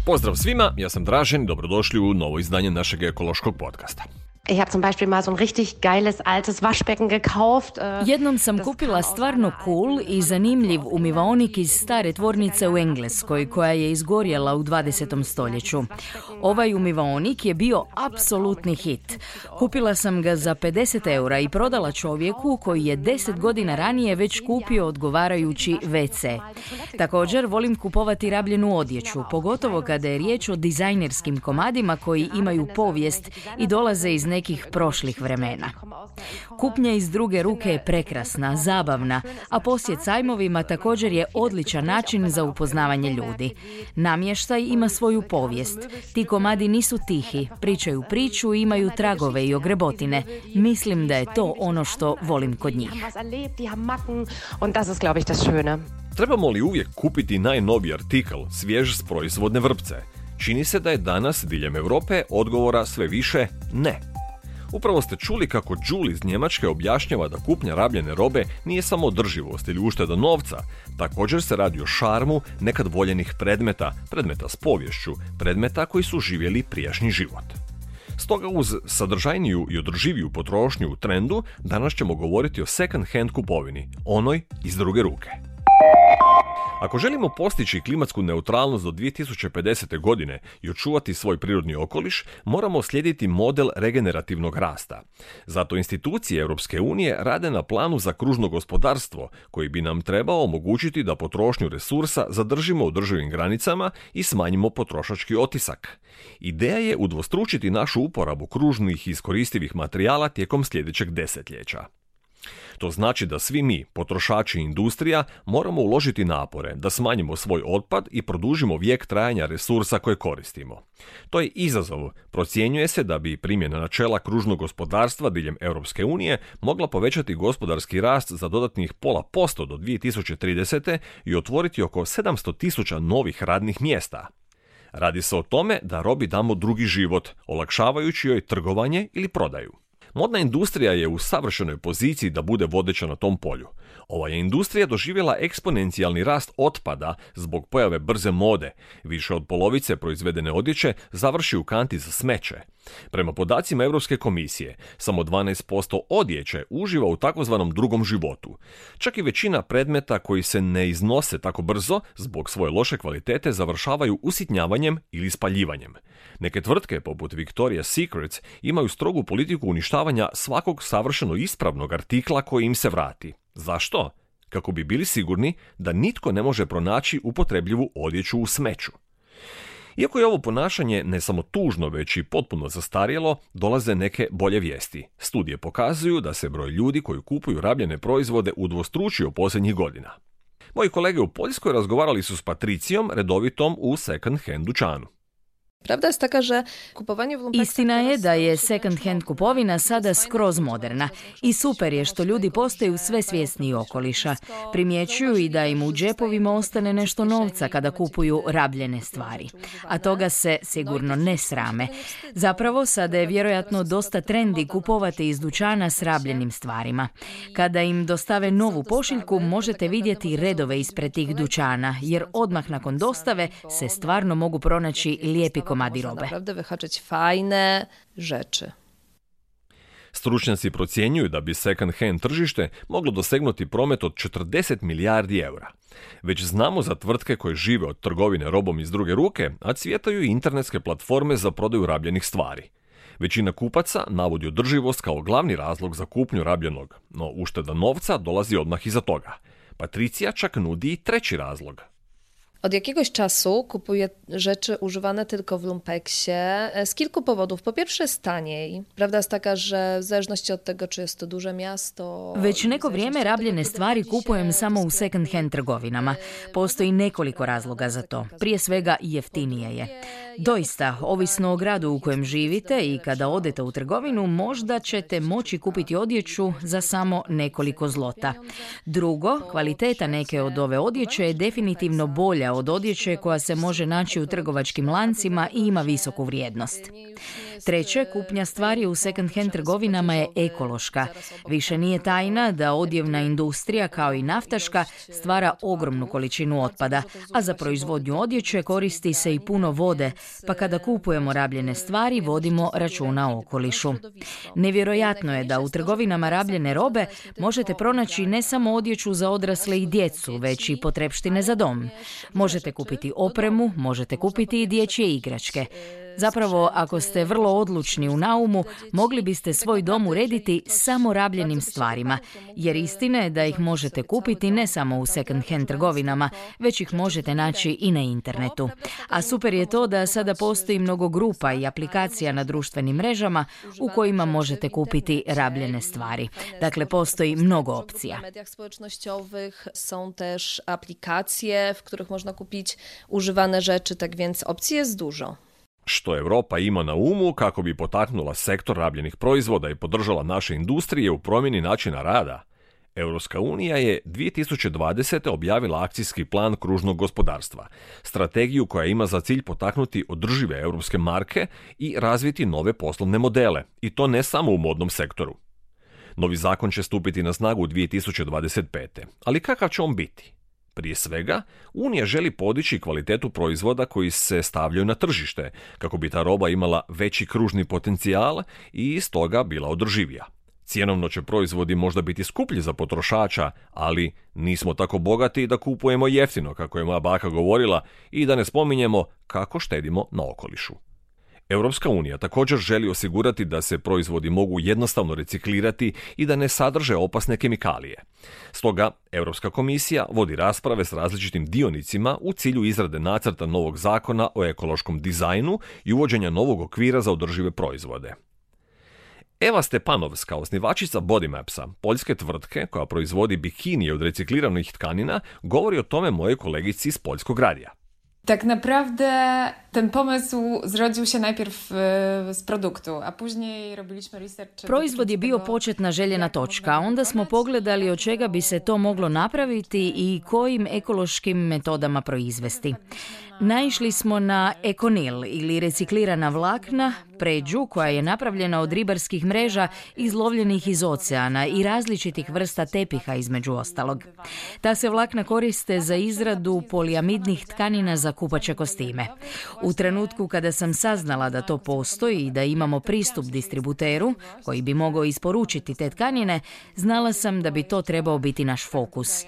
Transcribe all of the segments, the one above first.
Pozdrav svima, ja sam Dražen i dobrodošli u novo izdanje našeg ekološkog podcasta. Ich habe zum Beispiel mal so ein richtig geiles altes Waschbecken gekauft. Jednom sam kupila stvarno cool i zanimljiv umivaonik iz stare tvornice u Engleskoj koja je izgorjela u 20. stoljeću. Ovaj umivaonik je bio apsolutni hit. Kupila sam ga za 50 eura i prodala čovjeku koji je 10 godina ranije već kupio odgovarajući WC. Također volim kupovati rabljenu odjeću, pogotovo kada je riječ o dizajnerskim komadima koji imaju povijest i dolaze iz nekih prošlih vremena. Kupnja iz druge ruke je prekrasna, zabavna, a posjet sajmovima također je odličan način za upoznavanje ljudi. Namještaj ima svoju povijest. Ti komadi nisu tihi, pričaju priču i imaju tragove i ogrebotine. Mislim da je to ono što volim kod njih. Trebamo li uvijek kupiti najnoviji artikl, svjež s proizvodne vrpce? Čini se da je danas diljem Europe odgovora sve više ne. Upravo ste čuli kako Julie iz Njemačke objašnjava da kupnja rabljene robe nije samo održivost ili ušteda novca, također se radi o šarmu nekad voljenih predmeta s poviješću, predmeta koji su živjeli prijašnji život. Stoga uz sadržajniju i održiviju potrošnju u trendu, danas ćemo govoriti o second hand kupovini, onoj iz druge ruke. Ako želimo postići klimatsku neutralnost do 2050. godine i očuvati svoj prirodni okoliš, moramo slijediti model regenerativnog rasta. Zato institucije Europske unije rade na planu za kružno gospodarstvo, koji bi nam trebao omogućiti da potrošnju resursa zadržimo u održivim granicama i smanjimo potrošački otisak. Ideja je udvostručiti našu uporabu kružnih i iskoristivih materijala tijekom sljedećeg desetljeća. To znači da svi mi, potrošači i industrija, moramo uložiti napore da smanjimo svoj otpad i produžimo vijek trajanja resursa koje koristimo. To je izazov. Procjenjuje se da bi primjena načela kružnog gospodarstva diljem Europske unije mogla povećati gospodarski rast za dodatnih 0,5% do 2030. i otvoriti oko 700.000 novih radnih mjesta. Radi se o tome da robi damo drugi život, olakšavajući joj trgovanje ili prodaju. Modna industrija je u savršenoj poziciji da bude vodeća na tom polju. Ova je industrija doživjela eksponencijalni rast otpada zbog pojave brze mode. Više od polovice proizvedene odjeće završi u kanti za smeće. Prema podacima Europske komisije, samo 12% odjeće uživa u takozvanom drugom životu. Čak i većina predmeta koji se ne iznose tako brzo zbog svoje loše kvalitete završavaju usitnjavanjem ili spaljivanjem. Neke tvrtke, poput Victoria's Secret, imaju strogu politiku uništavanja svakog savršeno ispravnog artikla koji im se vrati. Zašto? Kako bi bili sigurni da nitko ne može pronaći upotrebljivu odjeću u smeću. Iako je ovo ponašanje ne samo tužno, već i potpuno zastarjelo, dolaze neke bolje vijesti. Studije pokazuju da se broj ljudi koji kupuju rabljene proizvode udvostručio posljednjih godina. Moji kolege u Poljskoj razgovarali su s Patricijom, redovitom u second hand dućanu. Istina je da je second hand kupovina sada skroz moderna i super je što ljudi postaju sve svjesniji okoliša. Primjećuju i da im u džepovima ostane nešto novca kada kupuju rabljene stvari. A toga se sigurno ne srame. Zapravo sada je vjerojatno dosta trendi kupovati iz dućana s rabljenim stvarima. Kada im dostave novu pošiljku možete vidjeti redove ispred tih dućana, jer odmah nakon dostave se stvarno mogu pronaći lijepi komadi robe. Stručnjaci procjenjuju da bi second hand tržište moglo dosegnuti promet od 40 milijardi eura. Već znamo za tvrtke koje žive od trgovine robom iz druge ruke, a cvjetaju i internetske platforme za prodaju rabljenih stvari. Većina kupaca navodi održivost kao glavni razlog za kupnju rabljenog, no ušteda novca dolazi odmah iza toga. Patricija čak nudi i treći razlog. Od jakiegoś czasu kupuję rzeczy używane tylko w lumpeksie z kilku powodów. Po pierwsze jest taniej. Prawda jest taka, że w zależności od tego, czy jest to duże miasto... Već neko vrijeme rabljene stvari kupujem samo u second hand trgovinama. Postoji nekoliko razloga za to. Prije svega jeftinije je. Doista, ovisno o gradu u kojem živite i kada odete u trgovinu, možda ćete moći kupiti odjeću za samo nekoliko zlota. Drugo, kvaliteta neke od ove odjeće je definitivno bolja od odjeće koja se može naći u trgovačkim lancima i ima visoku vrijednost. Treće, kupnja stvari u second-hand trgovinama je ekološka. Više nije tajna da odjevna industrija, kao i naftaška, stvara ogromnu količinu otpada, a za proizvodnju odjeće koristi se i puno vode, pa kada kupujemo rabljene stvari, vodimo računa o okolišu. Nevjerojatno je da u trgovinama rabljene robe možete pronaći ne samo odjeću za odrasle i djecu, već i potrepštine za dom. Možete kupiti opremu, možete kupiti i dječje igračke. Zapravo, ako ste vrlo odlučni u naumu, mogli biste svoj dom urediti samo rabljenim stvarima, jer istina je da ih možete kupiti ne samo u second-hand trgovinama, već ih možete naći i na internetu. A super je to da sada postoji mnogo grupa i aplikacija na društvenim mrežama u kojima možete kupiti rabljene stvari. Dakle, postoji mnogo opcija. Na mediach społecznościowych są też aplikacje, w których można kupić używane rzeczy, tak więc opcji jest dużo. Što Europa ima na umu kako bi potaknula sektor rabljenih proizvoda i podržala naše industrije u promjeni načina rada? Europska unija je 2020. objavila akcijski plan kružnog gospodarstva, strategiju koja ima za cilj potaknuti održive europske marke i razviti nove poslovne modele, i to ne samo u modnom sektoru. Novi zakon će stupiti na snagu 2025. Ali kakav će on biti? Prije svega, Unija želi podići kvalitetu proizvoda koji se stavljaju na tržište, kako bi ta roba imala veći kružni potencijal i stoga bila održivija. Cjenovno će proizvodi možda biti skuplji za potrošača, ali nismo tako bogati da kupujemo jeftino, kako je moja baka govorila, i da ne spominjemo kako štedimo na okolišu. Europska unija također želi osigurati da se proizvodi mogu jednostavno reciklirati i da ne sadrže opasne kemikalije. Stoga, Europska komisija vodi rasprave s različitim dionicima u cilju izrade nacrta novog zakona o ekološkom dizajnu i uvođenja novog okvira za održive proizvode. Eva Stepanovska, osnivačica Bodymapsa, poljske tvrtke koja proizvodi bikinije od recikliranih tkanina, govori o tome mojoj kolegici iz Poljskog radija. Tak naprawdę ten pomysł zrodził się najpierw z produktu, a później robiliśmy research. Proizvod je bio početna željena točka, a onda smo pogledali od čega bi se to moglo napraviti i kojim ekološkim metodama proizvesti. Naišli smo na ekonil ili reciklirana vlakna, pređu koja je napravljena od ribarskih mreža izlovljenih iz oceana i različitih vrsta tepiha između ostalog. Ta se vlakna koriste za izradu poliamidnih tkanina za kupaće kostime. U trenutku kada sam saznala da to postoji i da imamo pristup distributeru koji bi mogao isporučiti te tkanine, znala sam da bi to trebao biti naš fokus.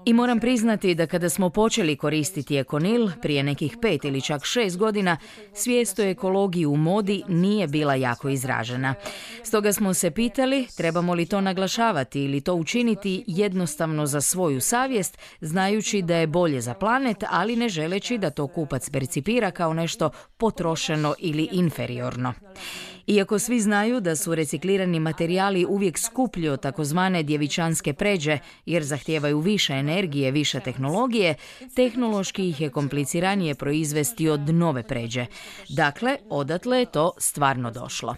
I moram priznati da kada smo počeli koristiti ekonil prije nekih 5 ili čak 6 godina, svijest o ekologiji u modi nije bila jako izražena. Stoga smo se pitali trebamo li to naglašavati ili to učiniti jednostavno za svoju savjest, znajući da je bolje za planet, ali ne želeći da to kupac percipira kao nešto potrošeno ili inferiorno. Iako svi znaju da su reciklirani materijali uvijek skuplji od takozvane djevičanske pređe, jer zahtijevaju više energije, više tehnologije, tehnološki ih je kompliciranije proizvesti od nove pređe. Dakle, odatle je to stvarno došlo.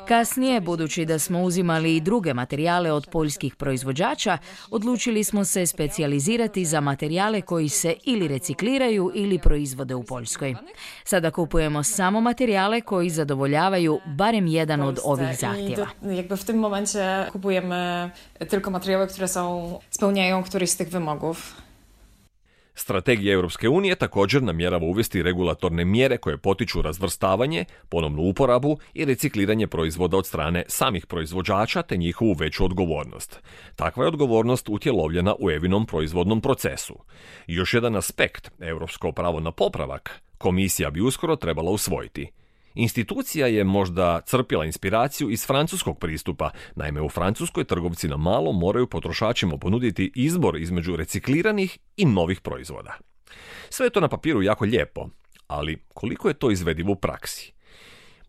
Kasnije, budući da smo uzimali i druge materijale od poljskih proizvođača, odlučili smo se specijalizirati za materijale koji se ili recikliraju ili proizvode u Poljskoj. Sada kupujemo samo materijale koji zadovoljavaju barem jedan od ovih zahtjeva. Jakby w tym momencie kupujemy tylko materiały, które spełniają któryś z tych wymogów. Strategija Europske unije također namjerava uvesti regulatorne mjere koje potiču razvrstavanje, ponovnu uporabu i recikliranje proizvoda od strane samih proizvođača te njihovu veću odgovornost. Takva je odgovornost utjelovljena u EVInom proizvodnom procesu. Još jedan aspekt, europsko pravo na popravak, komisija bi uskoro trebala usvojiti. Institucija je možda crpila inspiraciju iz francuskog pristupa, naime u Francuskoj trgovci na malo moraju potrošačima ponuditi izbor između recikliranih i novih proizvoda. Sve je to na papiru jako lijepo, ali koliko je to izvedivo u praksi?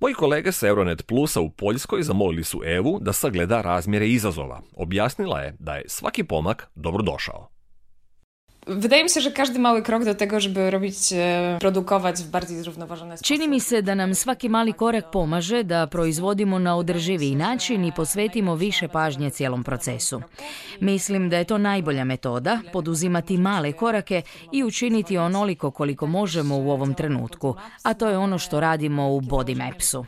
Moji kolege sa Euronet Plusa u Poljskoj zamolili su Evu da sagleda razmjere izazova. Objasnila je da je svaki pomak dobrodošao. Wydaje mi się, że każdy mały krok do tego, żeby produkować w bardziej zrównoważony sposób. Čini mi se da nam svaki mali korak pomaže da proizvodimo na održiviji način i posvetimo više pažnje cijelom procesu. Mislim da je to najbolja metoda, poduzimati male korake i učiniti onoliko koliko možemo u ovom trenutku, a to je ono što radimo u Body Mapsu.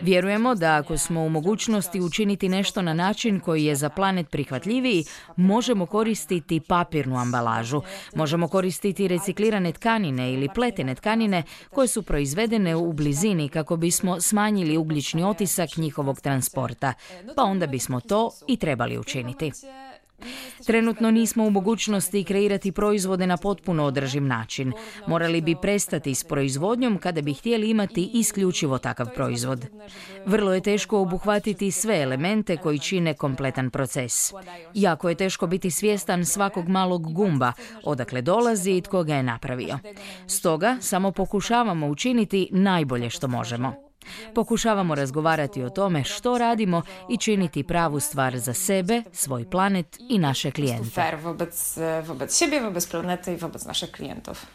Vjerujemo da ako smo u mogućnosti učiniti nešto na način koji je za planet prihvatljiviji, možemo koristiti papirnu ambalažu, možemo koristiti reciklirane tkanine ili pletene tkanine koje su proizvedene u blizini kako bismo smanjili ugljični otisak njihovog transporta, pa onda bismo to i trebali učiniti. Trenutno nismo u mogućnosti kreirati proizvode na potpuno održiv način. Morali bi prestati s proizvodnjom kada bi htjeli imati isključivo takav proizvod. Vrlo je teško obuhvatiti sve elemente koji čine kompletan proces. Jako je teško biti svjestan svakog malog gumba, odakle dolazi i tko ga je napravio. Stoga samo pokušavamo učiniti najbolje što možemo. Pokušavamo razgovarati o tome što radimo i činiti pravu stvar za sebe, svoj planet i naše klijente. Fair wobec siebie, wobec planety i wobec naszych klijentów.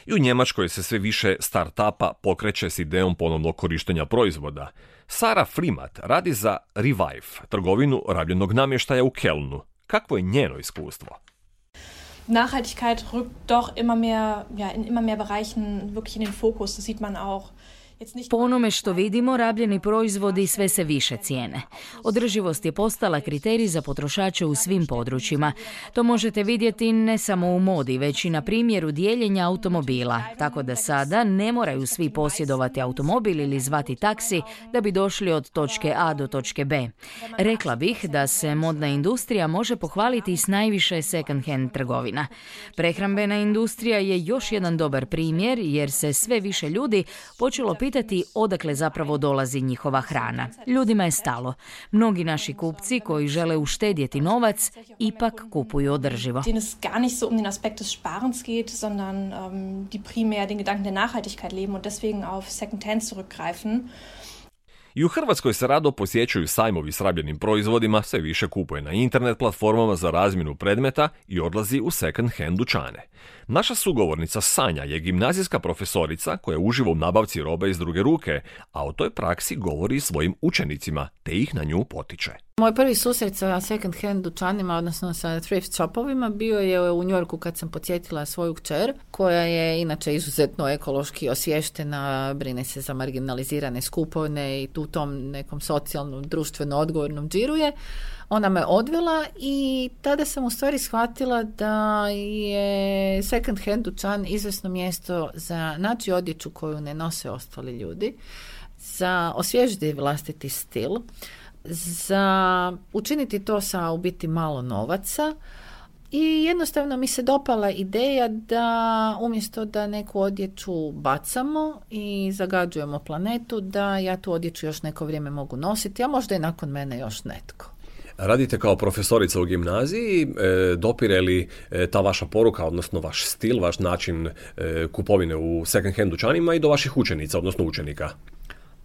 I u Njemačkoj se sve više start-upa pokreće s idejom ponovnog korištenja proizvoda. Sara Frimat radi za Revive, trgovinu rabljenog namještaja u Kelnu. Kakvo je njeno iskustvo? Nachhaltigkeit rückt doch immer mehr Bereichen wirklich in den Fokus. Das sieht man auch. Po onome što vidimo, rabljeni proizvodi sve se više cijene. Održivost je postala kriterij za potrošače u svim područjima. To možete vidjeti ne samo u modi, već i na primjeru dijeljenja automobila, tako da sada ne moraju svi posjedovati automobil ili zvati taksi da bi došli od točke A do točke B. Rekla bih da se modna industrija može pohvaliti s najviše second-hand trgovina. Prehrambena industrija je još jedan dobar primjer jer se sve više ljudi počelo pitati odakle zapravo dolazi njihova hrana. Ljudima je stalo. Mnogi naši kupci koji žele uštedjeti novac ipak kupuju održivo. Denen es gar nicht so den Aspekt des Sparens geht, sondern die primär den Gedanken der Nachhaltigkeit leben und deswegen auf Second-Hand zurückgreifen. I u Hrvatskoj se rado posjećuju sajmovi s rabljenim proizvodima, sve više kupuje na internet platformama za razmjenu predmeta i odlazi u second-hand dućane. Naša sugovornica Sanja je gimnazijska profesorica koja uživa u nabavci robe iz druge ruke, a o toj praksi govori svojim učenicima, te ih na nju potiče. Moj prvi susret sa second hand dućanima, odnosno sa thrift shopovima, bio je u Njujorku kad sam podsjetila svoju kćer, koja je inače izuzetno ekološki osviještena, brine se za marginalizirane skupine i u tom nekom socijalnom, društveno odgovornom džiruje. Ona me odvela i tada sam u stvari shvatila da je second hand dućan izvrsno mjesto za naći odjeću koju ne nose ostali ljudi, za osvježiti vlastiti stil, za učiniti to sa u biti malo novaca i jednostavno mi se dopala ideja da umjesto da neku odjeću bacamo i zagađujemo planetu, da ja tu odjeću još neko vrijeme mogu nositi, a možda i nakon mene još netko. Radite kao profesorica u gimnaziji, dopire li ta vaša poruka, odnosno vaš stil, vaš način kupovine u second hand dućanima i do vaših učenica, odnosno učenika?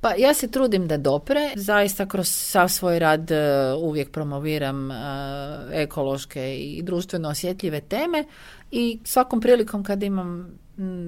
Pa ja se trudim da dopre, zaista kroz sav svoj rad uvijek promoviram ekološke i društveno osjetljive teme i svakom prilikom kad imam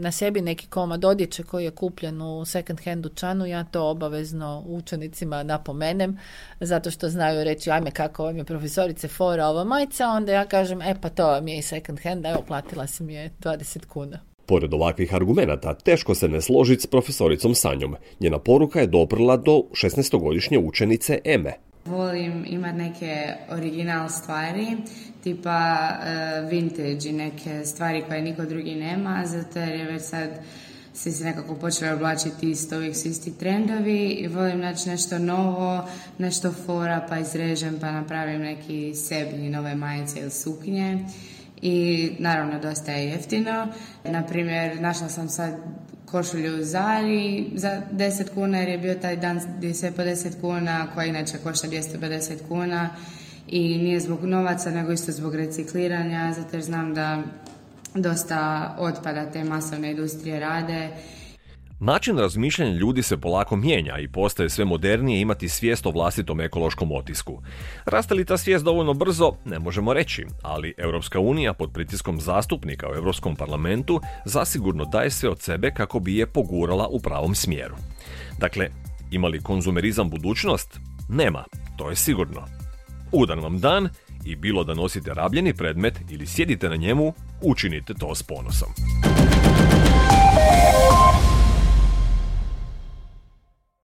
na sebi neki komad odjeće koji je kupljen u second hand dućanu, ja to obavezno učenicima napomenem, zato što znaju reći, ajme kako vam je profesorice fora ova majica, onda ja kažem, pa to vam je i second hand, evo platila sam je 20 kuna. Pored ovakvih argumenata, teško se ne složiti s profesoricom Sanjom. Njena poruka je doprla do 16-godišnje učenice Eme. Volim imati neke original stvari, tipa vintage i neke stvari koje niko drugi nema, zato jer je već sad svi se nekako počeli oblačiti isto, uvijek su isti trendovi i volim naći nešto novo, nešto fora, pa izrežem, pa napravim neki sebi nove majice ili suknje. I naravno dosta je jeftino. Naprimjer, našla sam sad košulju u Zari za 10 kuna jer je bio taj dan gdje je sve po 10 kuna, koja inače košta 250 kuna i nije zbog novaca nego isto zbog recikliranja, zato jer znam da dosta otpada te masovne industrije rade. Način razmišljanja ljudi se polako mijenja i postaje sve modernije imati svijest o vlastitom ekološkom otisku. Raste li ta svijest dovoljno brzo, ne možemo reći, ali Europska unija pod pritiskom zastupnika u Europskom parlamentu zasigurno daje sve od sebe kako bi je pogurala u pravom smjeru. Dakle, ima li konzumerizam budućnost? Nema, to je sigurno. Ugodan vam dan i bilo da nosite rabljeni predmet ili sjedite na njemu, učinite to s ponosom.